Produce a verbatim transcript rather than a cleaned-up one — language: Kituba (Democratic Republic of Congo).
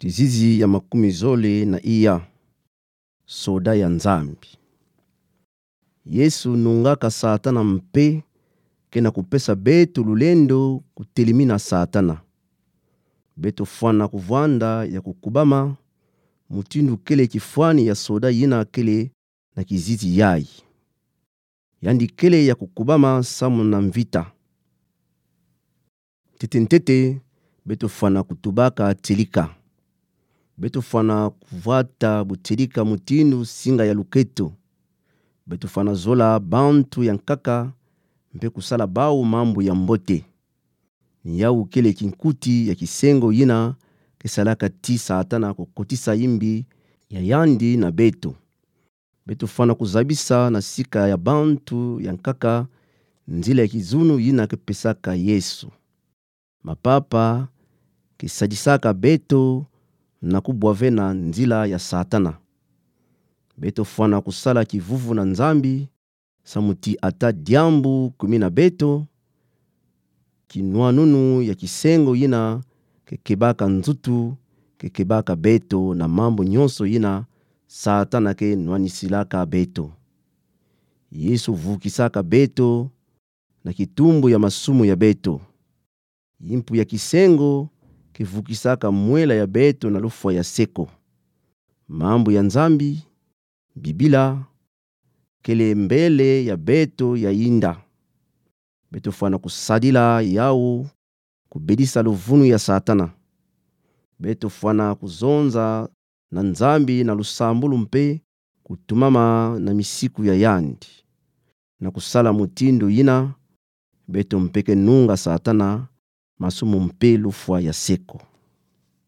Tizizi ya makumi zole na iya. Soda ya Nzambi. Yesu nungaka Satana mpe ke na kupesa beto lulendo kutelimina Satana. Beto fwana kuvwanda ya kukubama, mutindu kele kifwani ya soda yina kele na kizizi yayi. Yandi kele ya kukubama samu na mvita. Ntete ntete, beto fwana kutubaka tielika. Beto fwana kuvwata butielika mutindu singa ya luketo. Beto fwana zola bantu ya nkaka, mpe kusala bau mambu ya mbote. Ni yawu kele kinkuti ya kisengo yina ke salaka ti Satana kukotisa imbi ya yandi na beto. Beto fwana kuzabisa na sika ya bantu ya nkaka nzila ya kizunu yina ke pesaka Yesu. Mapapa ke sadisaka beto na kubwavena nzila ya Satana. Beto fwana kusala kivuvu na Nzambi, samu ti ata diambu kumi na beto, kinwanunu ya kisengo yina ke kebaka nzutu, ke kebaka beto na mambu nyonso yina Satana ke nwanisilaka beto. Yesu vukisaka beto na kitumbu ya masumu ya beto. Impu ya kisengo ke vukisaka mwela ya beto na lufwa ya seko. Mambu ya Nzambi, Bibila, kele mbele ya beto ya inda. Beto fwana kusadila yawu kubedisa luvunu ya Satana. Beto fwana kuzonza na Nzambi na lusambulu mpe kutumama na misiku ya yandi. Na kusala mutindu yina, beto mpe ke nunga Satana masumu mpe lufwa ya seko.